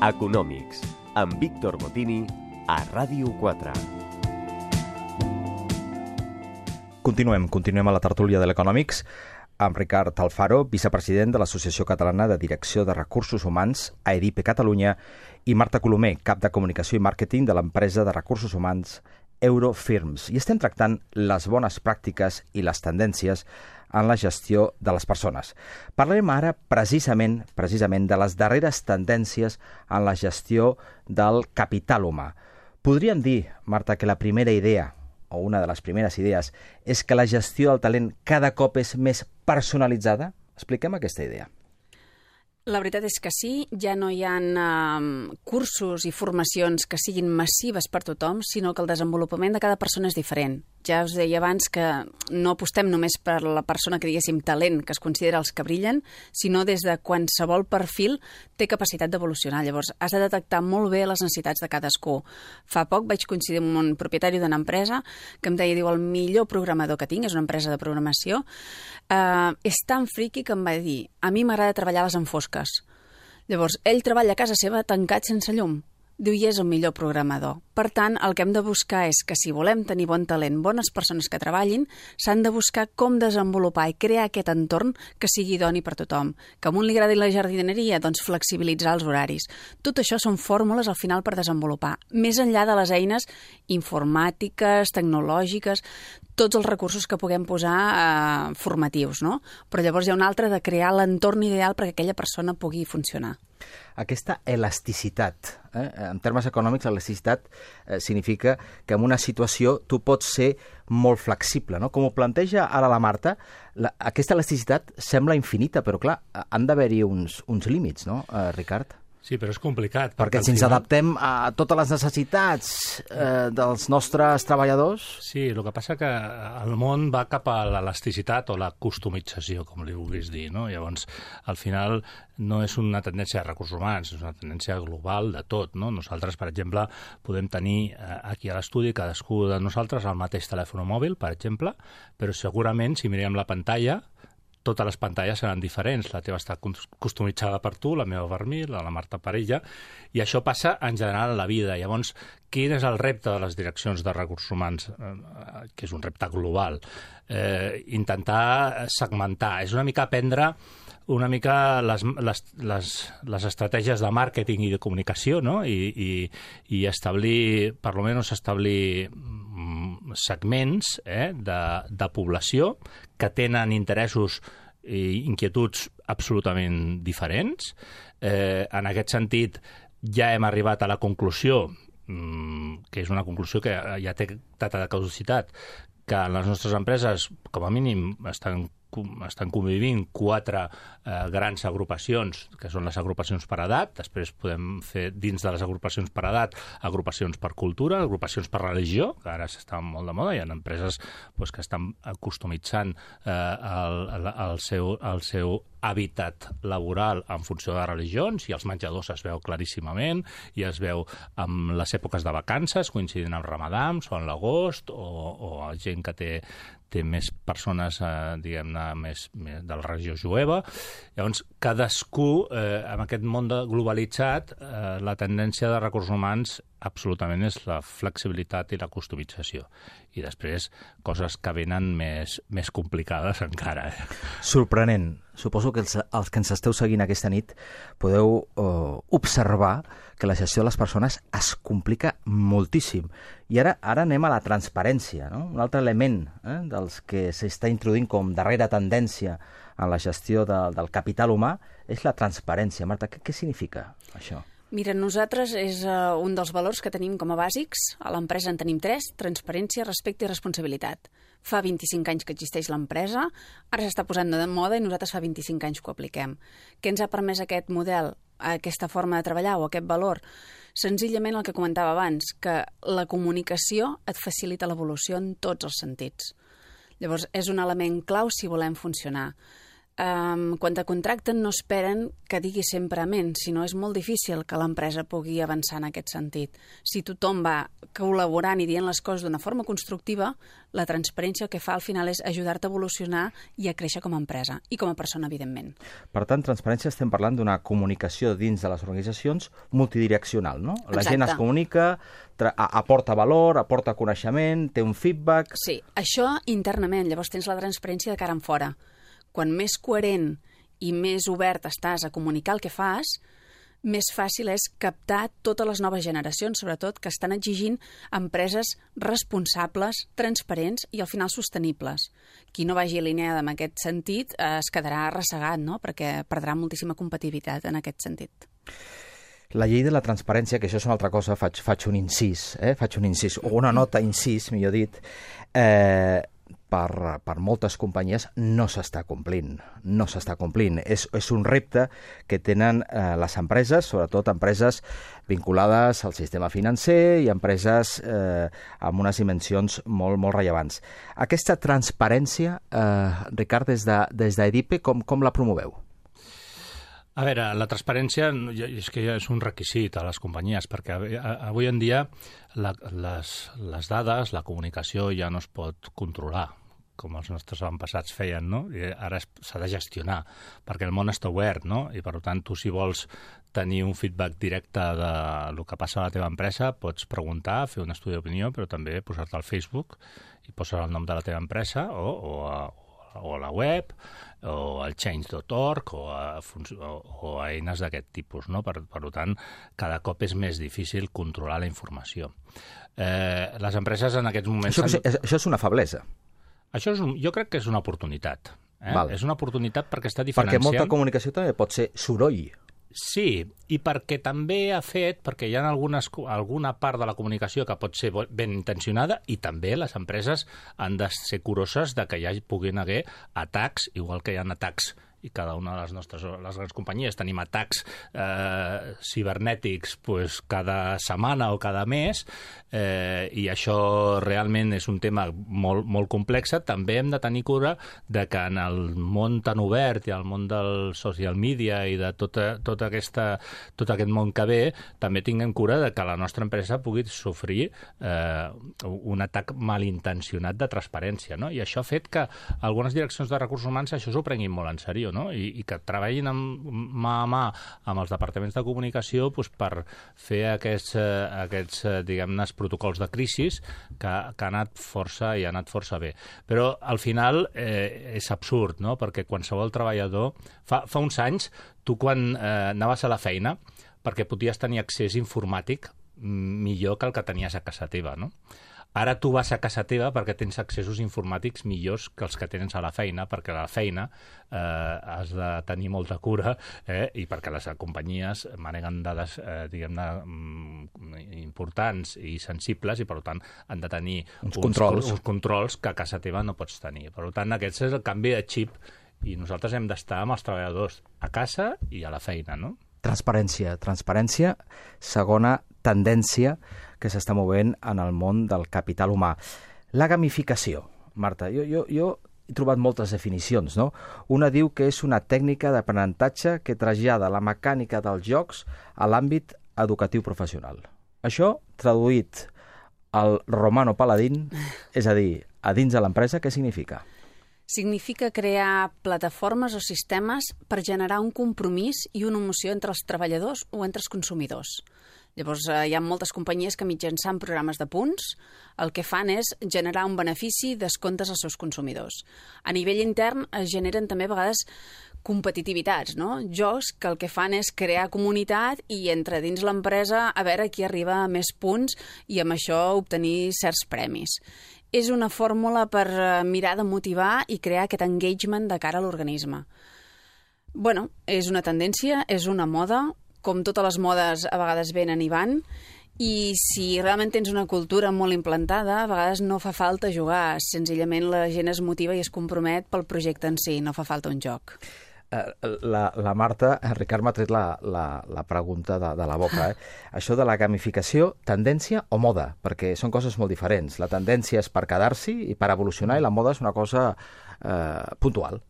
Econòmics, amb Víctor Botini, a Ràdio 4. Continuem a la tertúlia de l'Econòmics amb Ricard Alfaro, vicepresident de l'Associació Catalana de Direcció de Recursos Humans, AEDIPE Catalunya, i Marta Colomer, cap de Comunicació i Màrqueting de l'empresa de recursos humans Eurofirms. I estem tractant les bones pràctiques i les tendències en la gestió de les persones. Parlarem ara precisament de les darreres tendències en la gestió del capital humà. Podríem dir, Marta, que la primera idea, o una de les primeres idees, és que la gestió del talent cada cop és més personalitzada? Expliquem aquesta idea. La veritat és que sí, ja no hi ha cursos i formacions que siguin massives per tothom, sinó que el desenvolupament de cada persona és diferent. Ja us deia abans que no apostem només per la persona que diguéssim talent, que es considera els que brillen, sinó des de qualsevol perfil té capacitat d'evolucionar. Llavors, has de detectar molt bé les necessitats de cadascú. Fa poc vaig coincidir amb un propietari d'una empresa que em deia, diu, el millor programador que tinc, és una empresa de programació, és tan friqui que em va dir, a mi m'agrada treballar a les enfosques. Llavors, ell treballa a casa seva tancat sense llum. Diu, i és el millor programador. Per tant, el que hem de buscar és que si volem tenir bon talent, bones persones que treballin, s'han de buscar com desenvolupar i crear aquest entorn que sigui idoni per tothom. Que a un li agradi la jardineria, doncs flexibilitzar els horaris. Tot això són fórmules al final per desenvolupar. Més enllà de les eines informàtiques, tecnològiques, tots els recursos que puguem posar formatius, no? Però llavors hi ha un altre de crear l'entorn ideal perquè aquella persona pugui funcionar. Aquesta elasticitat, en termes econòmics, l'elasticitat significa que en una situació tu pots ser molt flexible, no? Com ho planteja ara la Marta, aquesta elasticitat sembla infinita, però clar, han d'haver-hi uns límits, no, Ricard? Sí, però és complicat. Perquè si ens adaptem a totes les necessitats dels nostres treballadors... Sí, el que passa que el món va cap a l'elasticitat o la customització, com li vulguis dir, no? Llavors, al final, no és una tendència de recursos humans, és una tendència global de tot, no? Nosaltres, per exemple, podem tenir aquí a l'estudi cadascú de nosaltres el mateix telèfon mòbil, per exemple, però segurament, si mirem la pantalla, totes les pantalles seran diferents. La teva està customitzada per tu, la meva per mi, la Marta per ella, i això passa en general a la vida. Llavors, quin és el repte de les direccions de recursos humans, que és un repte global? Intentar segmentar, és una mica aprendre una mica les estratègies de màrqueting i de comunicació, no? I establir, per almenys establir segments de població que tenen interessos i inquietuds absolutament diferents. En aquest sentit, ja hem arribat a la conclusió, que és una conclusió que ja té data de caducitat, que en les nostres empreses, com a mínim, estan convivint 4 grans agrupacions, que són les agrupacions per edat. Després podem fer, dins de les agrupacions per edat, agrupacions per cultura, agrupacions per religió, que ara s'està molt de moda. Hi ha empreses que estan customitzant el seu hàbitat laboral en funció de religions, i els menjadors es veu claríssimament, i es veu amb les èpoques de vacances, coincidint amb Ramadans o en l'agost, o gent que té més persones, diguem-ne, més de la religió jueva. Llavors, cadascú, en aquest món globalitzat, la tendència de recursos humans absolutament és la flexibilitat i la customització. I després, coses que venen més complicades encara. Sorprenent. Suposo que els que ens esteu seguint aquesta nit podeu observar que la gestió de les persones es complica moltíssim. I ara anem a la transparència, no? Un altre element dels que s'està introduint com darrera tendència en la gestió del capital humà és la transparència. Marta, què significa això? Mira, nosaltres és un dels valors que tenim com a bàsics. A l'empresa en tenim 3, transparència, respecte i responsabilitat. Fa 25 anys que existeix l'empresa, ara s'està posant de moda i nosaltres fa 25 anys que ho apliquem. Què ens ha permès aquest model, aquesta forma de treballar o aquest valor? Senzillament el que comentava abans, que la comunicació et facilita l'evolució en tots els sentits. Llavors, és un element clau si volem funcionar. quan te contracten no esperen que digui sempre amén, sinó és molt difícil que l'empresa pugui avançar en aquest sentit. Si tothom va col·laborant i dient les coses d'una forma constructiva, la transparència el que fa al final és ajudar-te a evolucionar i a créixer com a empresa i com a persona, evidentment. Per tant, transparència estem parlant d'una comunicació dins de les organitzacions multidireccional, no? La Exacte. gent es comunica, aporta valor, aporta coneixement, té un feedback... Sí, això internament, llavors tens la transparència de cara en fora. Quan més coherent i més obert estàs a comunicar el que fas, més fàcil és captar totes les noves generacions, sobretot, que estan exigint empreses responsables, transparents i al final sostenibles. Qui no vagi alineada en aquest sentit es quedarà arrossegat, no? Perquè perdrà moltíssima competitivitat en aquest sentit. La llei de la transparència, que això és una altra cosa, faig un incís, o una nota incís, millor dit, per moltes companyies no s'està complint. És un repte que tenen les empreses, sobretot empreses vinculades al sistema financer i empreses amb unes dimensions molt, molt rellevants. Aquesta transparència, Ricard, des d'EDIPE, com la promoveu? A veure, la transparència és que ja és un requisit a les companyies, perquè avui en dia les dades, la comunicació ja no es pot controlar, com els nostres avantpassats feien, no? I ara s'ha de gestionar, perquè el món està obert, no? I per tant, tu si vols tenir un feedback directe del que passa a la teva empresa, pots preguntar, fer un estudi d'opinió, però també posar-te al Facebook i posar el nom de la teva empresa o a la web, o al change.org, o a eines d'aquest tipus, no? Per tant, cada cop és més difícil controlar la informació. Les empreses en aquests moments... Això és una feblesa. Jo crec que és una oportunitat. És una oportunitat perquè està diferenciant... Perquè molta comunicació també pot ser soroll. Sí, i perquè també ha fet, perquè hi ha alguna part de la comunicació que pot ser ben intencionada i també les empreses han de ser curoses de que hi puguin haver atacs, igual que hi ha atacs i cada una de les grans companyies tenim atacs cibernètics cada setmana o cada mes, i això realment és un tema molt, molt complex. També hem de tenir cura de que en el món tan obert i el món del social media i de tot aquest món que ve, també tinguem cura de que la nostra empresa pugui sofrir un atac malintencionat de transparència, no? I això ha fet que algunes direccions de recursos humans això s'ho prenguin molt en sèrio, no? I que treballin mà a mà amb els departaments de comunicació per fer aquests diguem-ne, protocols de crisi que ha anat força bé. Però al final és absurd, no? Perquè qualsevol treballador... Fa uns anys, tu quan anaves a la feina, perquè podies tenir accés informàtic millor que el que tenies a casa teva, no? Ara tu vas a casa teva perquè tens accessos informàtics millors que els que tens a la feina, perquè a la feina has de tenir molta cura i perquè les companyies maneguen dades, diguem-ne, importants i sensibles i, per tant, han de tenir uns controls que a casa teva no pots tenir. Per tant, aquest és el canvi de xip i nosaltres hem d'estar amb els treballadors a casa i a la feina, no? Transparència, segona tendència que s'està movent en el món del capital humà. La gamificació, Marta, jo he trobat moltes definicions, no? Una diu que és una tècnica d'aprenentatge que trasllada la mecànica dels jocs a l'àmbit educatiu professional. Això, traduït al romano paladín, és a dir, a dins de l'empresa, què significa? Significa crear plataformes o sistemes per generar un compromís i una emoció entre els treballadors o entre els consumidors. Llavors, hi ha moltes companyies que mitjançant programes de punts el que fan és generar un benefici i descomptes als seus consumidors. A nivell intern es generen també a vegades competitivitats, no? Jocs que el que fan és crear comunitat i entre dins l'empresa a veure qui arriba a més punts i amb això obtenir certs premis. És una fórmula per mirar de motivar i crear aquest engagement de cara a l'organisme. Bueno, és una tendència, és una moda, com totes les modes a vegades venen i van, i si realment tens una cultura molt implantada, a vegades no fa falta jugar, senzillament la gent es motiva i es compromet pel projecte en si, no fa falta un joc. La Marta, Ricard m'ha tret la pregunta de la boca. Això de la gamificació, tendència o moda? Perquè són coses molt diferents. La tendència és per quedar-s'hi i per evolucionar, i la moda és una cosa puntual.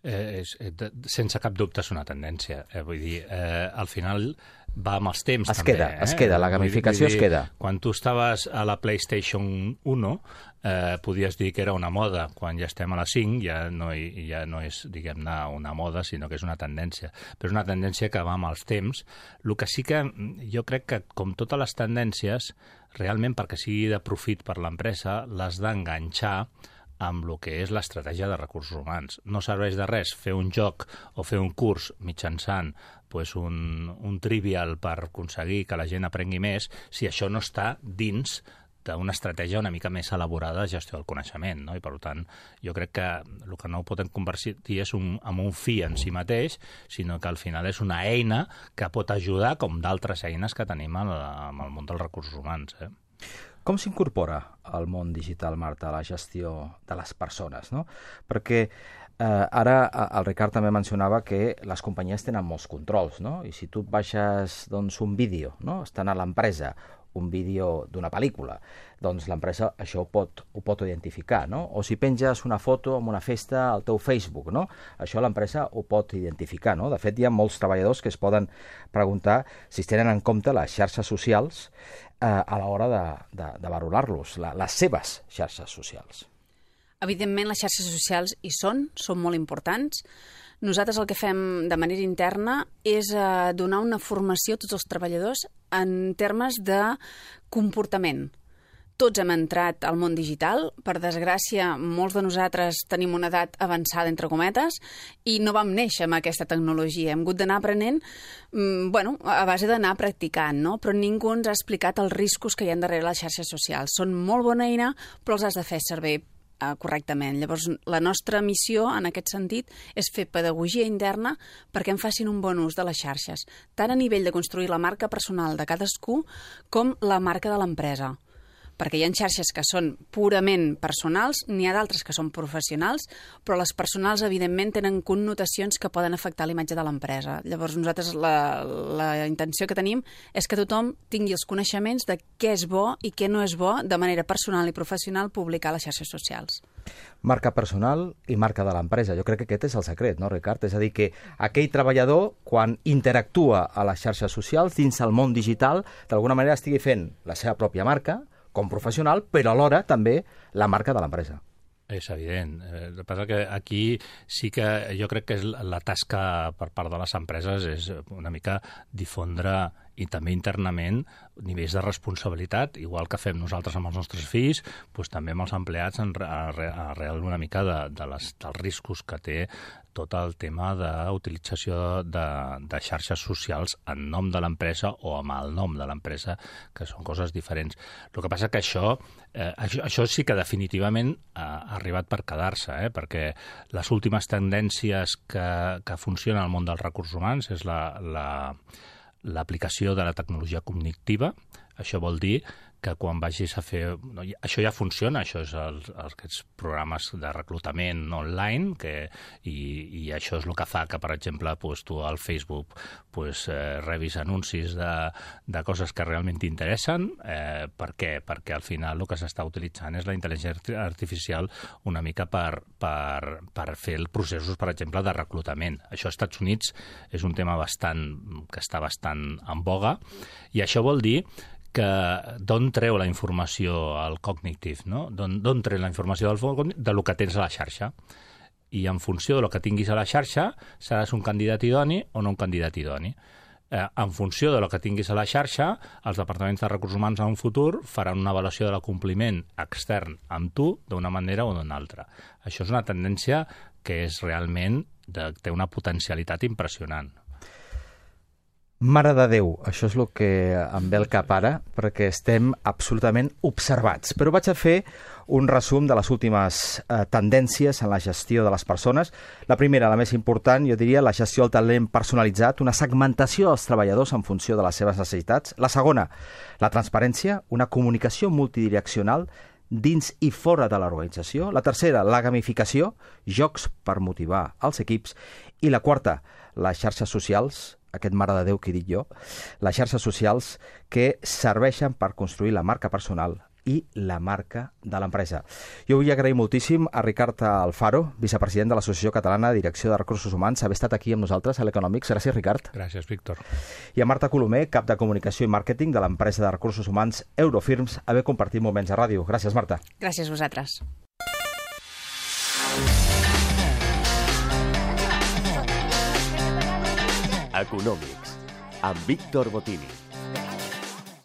sense cap dubte és una tendència. Vull dir, al final va amb els temps. Es també, queda, la gamificació es queda. Quan tu estaves a la PlayStation 1, podies dir que era una moda. Quan ja estem a la 5 ja no és, diguem-ne, una moda, sinó que és una tendència. Però és una tendència que va amb els temps. El que sí que jo crec que, com totes les tendències, realment perquè sigui de profit per l'empresa, l'has d'enganxar amb el que és l'estratègia de recursos humans. No serveix de res fer un joc o fer un curs mitjançant un trivial per aconseguir que la gent aprengui més si això no està dins d'una estratègia una mica més elaborada de gestió del coneixement, no? I per tant, jo crec que el que no ho podem convertir és en un fi en si mateix, sinó que al final és una eina que pot ajudar, com d'altres eines que tenim en el món dels recursos humans, Com s'incorpora al món digital, Marta, a la gestió de les persones, no? Perquè ara el Ricard també mencionava que les companyies tenen molts controls, no? I si tu et baixes un vídeo, no? Estan a l'empresa, un vídeo d'una pel·lícula, doncs l'empresa això ho pot identificar, no? O si penges una foto en una festa al teu Facebook, no? Això l'empresa ho pot identificar, no? De fet, hi ha molts treballadors que es poden preguntar si es tenen en compte les xarxes socials a l'hora de valorar-los, les seves xarxes socials. Evidentment, les xarxes socials hi són molt importants. Nosaltres el que fem de manera interna és donar una formació a tots els treballadors en termes de comportament. Tots hem entrat al món digital. Per desgràcia, molts de nosaltres tenim una edat avançada, entre cometes, i no vam néixer amb aquesta tecnologia. Hem hagut d'anar aprenent a base d'anar practicant, no? Però ningú ens ha explicat els riscos que hi ha darrere les xarxes socials. Són molt bona eina, però els has de fer servir correctament. Llavors, la nostra missió, en aquest sentit, és fer pedagogia interna perquè en facin un bon ús de les xarxes, tant a nivell de construir la marca personal de cadascú com la marca de l'empresa. Perquè hi ha xarxes que són purament personals, n'hi ha d'altres que són professionals, però les personals, evidentment, tenen connotacions que poden afectar l'imatge de l'empresa. Llavors, nosaltres la intenció que tenim és que tothom tingui els coneixements de què és bo i què no és bo de manera personal i professional publicar a les xarxes socials. Marca personal i marca de l'empresa. Jo crec que aquest és el secret, no, Ricard? És a dir, que aquell treballador, quan interactua a les xarxes socials, dins el món digital, d'alguna manera estigui fent la seva pròpia marca, com professional, però alhora també la marca de l'empresa. És evident. El que passa que aquí sí que jo crec que la tasca per part de les empreses és una mica difondre i també internament nivells de responsabilitat, igual que fem nosaltres amb els nostres fills, doncs també amb els empleats arrel una mica dels riscos que té tot el tema d'utilització de xarxes socials en nom de l'empresa o amb el nom de l'empresa, que són coses diferents. El que passa que això sí que definitivament ha arribat per quedar-se, perquè les últimes tendències que funcionen al món dels recursos humans és l'aplicació de la tecnologia cognitiva. Això vol dir que quan vagis a fer... Això ja funciona, això és aquests programes de reclutament online, i això és el que fa que, per exemple, tu al Facebook rebis anuncis de coses que realment t'interessen. Per què? Perquè al final el que s'està utilitzant és la intel·ligència artificial una mica per fer els processos, per exemple, de reclutament. Això als Estats Units és un tema que està bastant en boga, i això vol dir que d'on treu la informació al cognitiu, no? D'on treu la informació de lo que tens a la xarxa. I en funció de lo que tinguis a la xarxa, seràs un candidat idoni o no un candidat idoni. En funció de lo que tinguis a la xarxa, els departaments de recursos humans en un futur faran una avaluació de l'acompliment extern amb tu d'una manera o d'una altra. Això és una tendència que és realment té una potencialitat impressionant. Mare de Déu, això és el que em ve al cap ara, perquè estem absolutament observats. Però vaig a fer un resum de les últimes tendències en la gestió de les persones. La primera, la més important, jo diria, la gestió del talent personalitzat, una segmentació dels treballadors en funció de les seves necessitats. La segona, la transparència, una comunicació multidireccional dins i fora de l'organització. La tercera, la gamificació, jocs per motivar els equips. I la quarta, les xarxes socials, aquest mare de Déu que he dit jo, les xarxes socials que serveixen per construir la marca personal, i la marca de l'empresa. Jo vull agrair moltíssim a Ricard Alfaro, vicepresident de l'Associació Catalana de Direcció de Recursos Humans, haver estat aquí amb nosaltres a l'Economics. Gràcies, Ricard. Gràcies, Víctor. I a Marta Colomer, cap de Comunicació i Màrqueting de l'empresa de recursos humans Eurofirms, haver compartit moments a ràdio. Gràcies, Marta. Gràcies a vosaltres. Econòmics, amb Víctor Botini.